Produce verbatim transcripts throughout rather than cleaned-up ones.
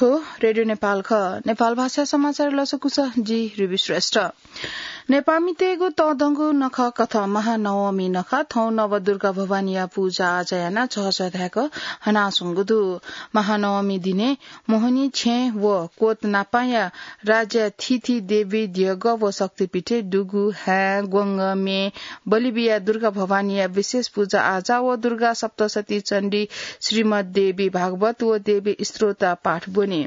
रेडियो नेपाल खः। नेपाल भाषा समाचार लसकुस, जि रुबी श्रेष्ठ। नेपाःमितय्गु तःधंगु नखः कथं महानवमी नखः थौं नवदुर्गा भवानीया पूजा आजा यानाः झःझः धाय्क हनाच्वंगु दु। महानवमी दिने मोहनी छेँ व कोत नापांया राज्य थीथी देवी द्यःगः व शक्तिपीठय् दुगु, हाय्, ग्वंग, म्ये, बलि बियाः दुर्गा भवानीया विशेष पूजा आजा व दुर्गा सप्तशती चण्डी, श्रीमद् देवी भागवत व देवी स्त्रोत पाठ ब्वनी।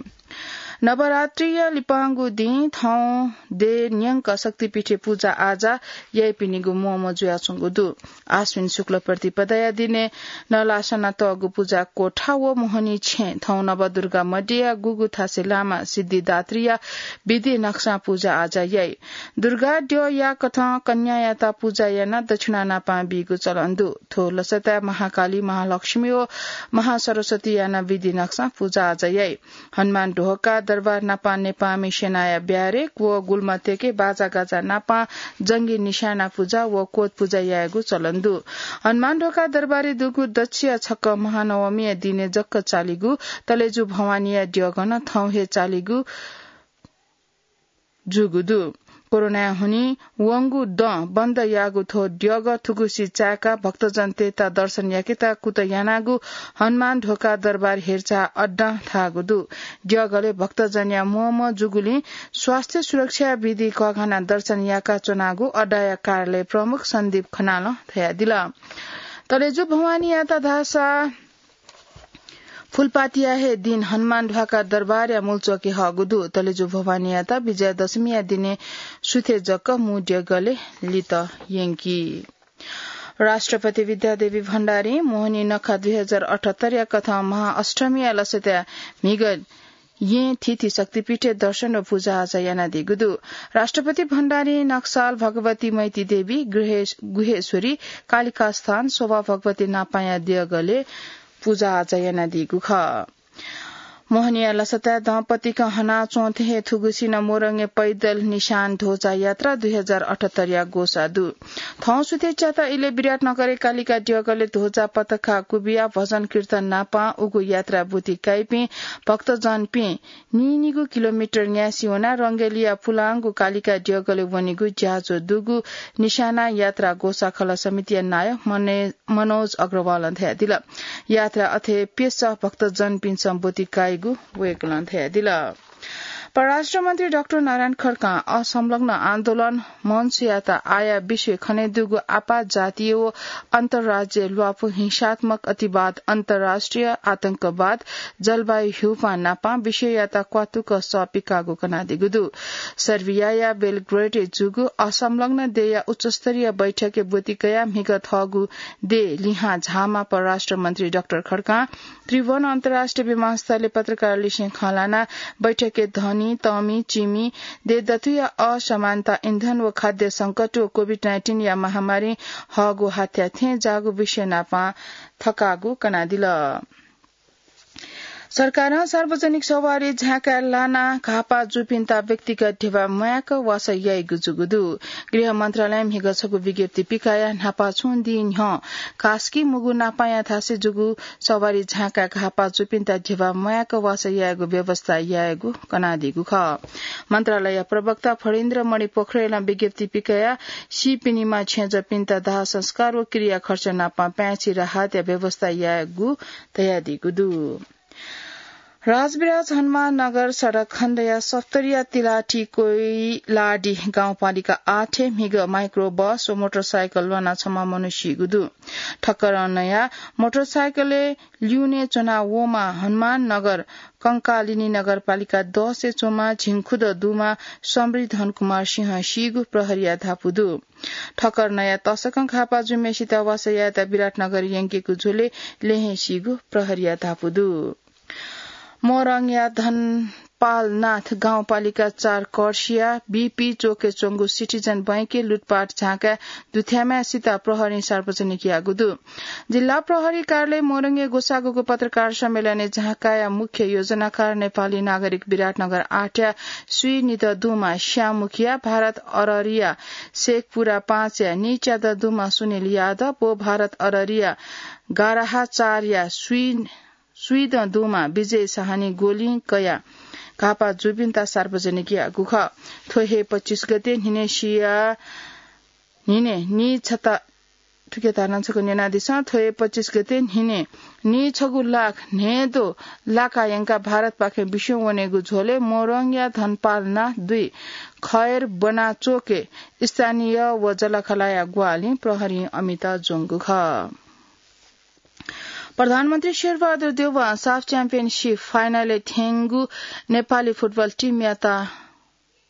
नवरात्रिया लिपांगु दिं थौं देय् न्यंक शक्तिपीठय् पूजा आजा याइपिनिगु म्वःम्वः जुयाच्वंगु दु। आश्विन शुक्ल प्रतिपदाया दिने नलासना तःगु पूजा कोठा व मोहनी छेँ थौं नवदुर्गा मध्यया गुगु थासय् लामा सिद्धिदात्रीया विधि नक्सां पूजा आजा याइ। दुर्गा द्यः याकथं कन्यायात पूजा यानाः दक्षिणा नापां बीगु चलन दु। थ्व लसताय् महाकाली, महालक्ष्मी व महासरस्वती यानाः विधि नक्सां पूजा आजा याइ। हनुमान ढोका दरबार नापां नेपाःमि सेनाया ब्यारेक व गुल्म तेके बाजागाजा नापां जंगी निशाना पूजा व कोत पूजा यायेगु चलन दु। हनुमान ढोका दरबारय् दुगु दच्छिया छक्क महानवमीया दिने जक्क चालीगु तलेजु भवानीया द्यःगः नं थौं हे चालीगु जूगु दु। कोरोनाय् हुनिं वंगु दँ बन्द याःगु थ्व द्यःगः थुगुसी चाय्काः भक्तजनतय्त दर्शन याकेत कुतः यानागु हनुमान ढोका दरबार हेरचाह अड्डां धाःगु दु। द्यःगलय् भक्तजनया म्वःम्वः जूगुलिं स्वास्थ्य सुरक्षा विधि कःघानाः दर्शन याका च्वनागु अड्डाया कार्यालय प्रमुख सन्दीप खनालं धयादिल। तलेजु भवानीयात धाःसा फूलपातिया हे दिन हनुमान ढ्वाका दरबारया मूलचोकय् हःगु दु। तलेजु भवानीयात विजयादशमीया दिने सुथे जक मू द्यःगलय् लित यंकी। राष्ट्रपति विद्यादेवी भण्डारीं मोहनी नखः दुई हजार अठहत्तरया कथं महाअष्टमीया लसताय् म्हिगः येँ थीथी शक्तिपीठय् दर्शन व पूजा आजा यानादीगु दु। राष्ट्रपति भण्डारीं नक्साल भगवती मैती देवी, गृहे-, गुहेश्वरी, कालिका स्थान, शोभा भगवती नापांया द्यःगलय् पूजा आजा यानादीगु खः। मोहनीया लसताय् दँपतिकं हनाच्वंथें हे थुगुसी नं मोरङय् पैदल निशान ध्वजा यात्रा दुई हजार अठहत्तरया ग्वसाः दु। थौं सुथे च्याता इलय् विराटनगरय् कालिका द्यःगलय् ध्वजा पताका क्वबिया भजन कीर्तन नापां उगु यात्रा ब्वति काइपिं भक्तजनपिं नीनिगू किलोमिटर न्यासि वनाः रंगेलिया पुलांगु कालिका द्यःगलय् वनीगु ज्याझ्वः दुगु निशाना यात्रा ग्वसाः खलः समितिया नायः मने-, मनोज अग्रवालं धयादिल। यात्रा अथे प्यसः भक्तजनपिन्सं ब्वति काइगु वय्कलं धयादिल। परराष्ट्र मन्त्री डाक्टर नारायण खड्कां असंलग्न आन्दोलन मञ्चयात आया विश्वय् खनेदुगु आपात जातीय व अन्तर्राज्यीय ल्वापु, हिंसात्मक अतिवाद, अन्तर्राष्ट्रिय आतंकवाद, जलवायु ह्यूपां नापां विषययात क्वातुक सः पिकाःगु कनादीगु दु। सर्बियाया बेलग्रेडय् जूगु असंलग्न देय्या उच्चस्तरीय बैठकय् ब्वति कयाः म्हिगः थःगु देय् लिहां झाःम्ह परराष्ट्र मन्त्री डाक्टर खड्कां त्रिभुवन अन्तर्राष्ट्रिय विमानस्थलय् पत्रकारलिसें खँ ल्हानाः बैठकय् धनी, तःमि, चिमि, देय् दथुया असमानता, इन्धन व खाद्य संकट व कोभिड नाइन्टिनया महामारीं हःगु हाथ्या थें जाःगु विषय नापां थकाःगु कनादिल। सरकारं सार्वजनिक सवारी झाँकाय् लानाः घाःपाः जूपिन्त व्यक्तिगत ध्यबा म्वायेक वासः याइगु जूगु दु। गृह मन्त्रालयं म्हिगः छगू विज्ञप्ति पिकयाः न्हापा छुं दिं न्ह्यः कास्की मुगु नापांया थासय् जूगु सवारी झाँकाय् घाःपाः जूपिन्त ध्यबा म्वायेक वासः यायेगु व्यवस्था यायेगु कनादीगु खः। मन्त्रालय प्रवक्ता फणीन्द्र मणि पोखरेलं विज्ञप्ति पिकयाः सीपिनिमा छेँजःपिन्त दाह संस्कार व किराया खर्च नाप पाय्छि राहतया व्यवस्था यायेगु धयादीगु दु। राजविराज हनुमान नगर सडक खण्डया सप्तरीया तिलाठी कोइलाडी गाउँपालिका आठय् म्हिगः माइक्रो बस व मोटरसाइकल ल्वानाः छम्ह मनू सीगु दु। ठक्कर नयाः मोटरसाइकलय् ल्यूने च्वना वःम्ह हनुमान नगर कंकालिनी नगरपालिका दसय् च्वंम्ह झिंखुद दुम्ह समृद्धन कुमार सिंह सीगु प्रहरीया धापू दु। ठक्कर नयाः तसकं घाःपाः जूम्हय्सित वासः यायेत विराटनगर यंकेगु झ्वलय् ल्यहें सीगु प्रहरीया धापू दु। मोरङया धनपालनाथ गाउँपालिका चार कर्सिया बीपी चोकय् च्वंगु सिटिजन बैंकय् लुटपाट झाँकाय् दुथ्याम्हय्सित प्रहरीं सार्वजनिक याःगु दु। जिल्ला प्रहरी कार्यालय मोरङय् ग्वसाःगु पत्रकार सम्मेलनय् झाँकाया मुख्य योजनाकार नेपाली नागरिक विराटनगर आठया स्वीनिदँ दुम्ह श्याम मुखिया, भारत अररिया शेखपुरा पाँचया नीच्यादँ दुम्ह सुनिल यादव व भारत अररिया गाराहा चारया स्वी स्वीदँ दुमा विजय साहनी गोलिं कया घापा जूपिन्त सार्वजनिक याःगु खः। थ्व हे पच्चीस गते न्हिने सिया न्हिने नि छता थुके धारण छकः न्यनादिसँ। थ्व हे पच्चीस गते न्हिने नि छगू लाख न्हेदो लाका यंका भारतपाखें बिस्युं वनेगु झ्वलय् मोरङया धनपाल नाथ दुई खैर बना चोके स्थानीय व जलखलाया ग्वाहालिं प्रहरीं अमित ज्वंगु खः। प्रधानमन्त्री शेरबहादुर देउवां साफ च्याम्पियनसिप फाइनलय् थ्यंगु नेपाली फुटबल टिमयात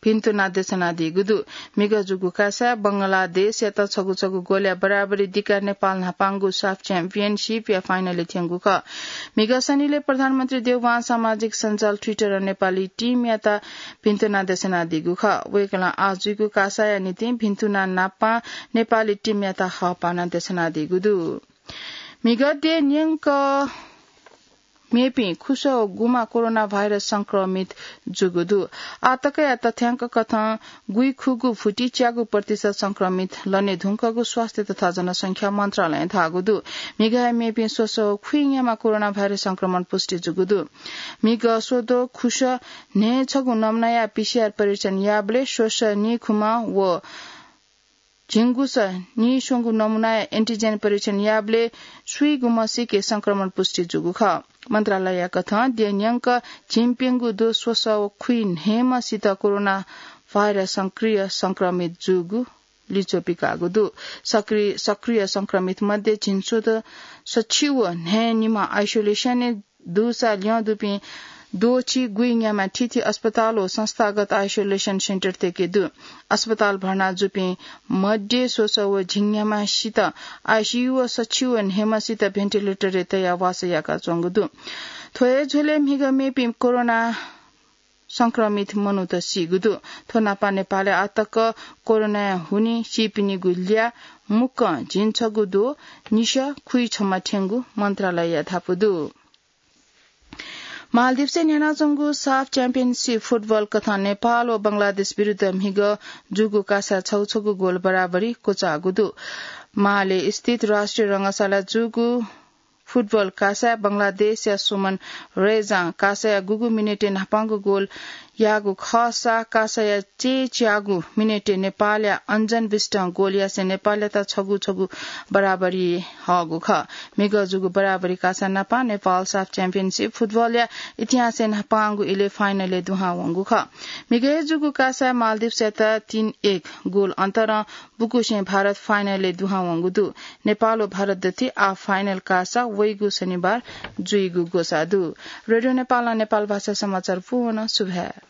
भिन्तुना देछानादीगु दु। मिगः जूगु कासाय् बंगलादेशयात छगू छगू गोलया बराबरी दिकाः नेपाल न्हापांगु साफ च्याम्पियनसिपया फाइनलय् थ्यंगु खः। मिगः शनिलय् प्रधानमन्त्री देउवां सामाजिक सञ्जाल Twitter-य् नेपाली टिमयात भिन्तुना देछानादीगु खः। वय्कलं आः जूगु कासाया निंतिं भिन्तुना नापं नेपाली टिमयात हःपाना देछानादीगु दु। मिगः द्यः न्यंक मेपिं खुसः व गुम्ह कोरोना भाइरस संक्रमित जूगु दु। आः तकया तथ्यांक कथं गुइखुगू भुति च्यागू प्रतिशत संक्रमित लने धुंकूगु स्वास्थ्य तथा जनसंख्या मन्त्रालयं धाःगु दु। मिगःया मेपिं स्वसः व खुइन्याम्ह कोरोना भाइरस संक्रमण पुष्टि जूगु दु। मिगः स्वद्वः खुसः न्हय् छगू नमुनाया PCR परीक्षण याःबलय् स्वसः नीखुम्ह व झिंगुसः नीस्वंगू नमुनाया antigen परीक्षण याःबलय् स्वीगुम्हसिके संक्रमण पुष्टि जूगु खः। मन्त्रालयया कथं द्यः न्यंक झिंप्यंगू द्वः स्वसः व खुइन्हय्म्हसित कोरोना भाइरस सक्रिय संक्रमित जूगु लिच्वः पिकाःगु दु। सक्रिय, सक्रिय संक्रमित मध्ये झिंस्वदँ सछि व न्हय् निम्ह isolation-य् दुसा ल्यं दुपिं द्वःछि गुइन्याम्ह थीथी अस्पताल व संस्थागत isolation center तय्के दु। अस्पताल भर्ना जूपिं मध्ये स्वसः व झिंन्याम्हसित ICU व सछि व न्हय्म्हसित ventilator-य् तयाः वासः याकाच्वंगु दु। थ्व हे झ्वलय् म्हिगः मेपिं कोरोना संक्रमित मनूत सीगु दु। थ्व नापं नेपालय् आः तक कोरोनाया हुनिं सीपिनिगु ल्याः मुक्कं झिंछगू द्वः निसः खुइछम्ह थ्यंगु मन्त्रालयया धापू दु। मालदिप्सय् न्ह्यानाच्वंगु साफ च्याम्पियनसिप फुटबल कथं नेपाल व बंगलादेश विरुद्ध म्हिगः जूगु कासाय् छगू छगू गोल बराबरी क्वचाःगु दु। माले स्थित राष्ट्रिय रंगशालाय् जूगु फुटबल कासाय् बंगलादेशया सुमन रेजां कासाया गुगु मिनेटय् न्हापांगु गोल याःगु खःसा कासाया चय्च्याःगु मिनेटय् नेपालया अञ्जन बिष्टं गोल यासें नेपालयात छगू छगू बराबरी हःगु खः। म्हिगः जूगु बराबरी कासा नापं नेपाल साफ च्याम्पियनसिप फुटबलया इतिहासय् न्हापांगु इलय् फाइनलय् दुहां वंगु खः। म्हिगः जूगु कासाय् मालदिप्सयात तीन एक गोल अन्तरं बुकुसें भारत फाइनलय् दुहां वंगु दु। नेपाल व भारत दथुइ आः फाइनल कासा वइगु शनिबार जुइगु ग्वसाः दु। रेडियो नेपालं नेपाल भाषा समाचार पूवन सुभाय्।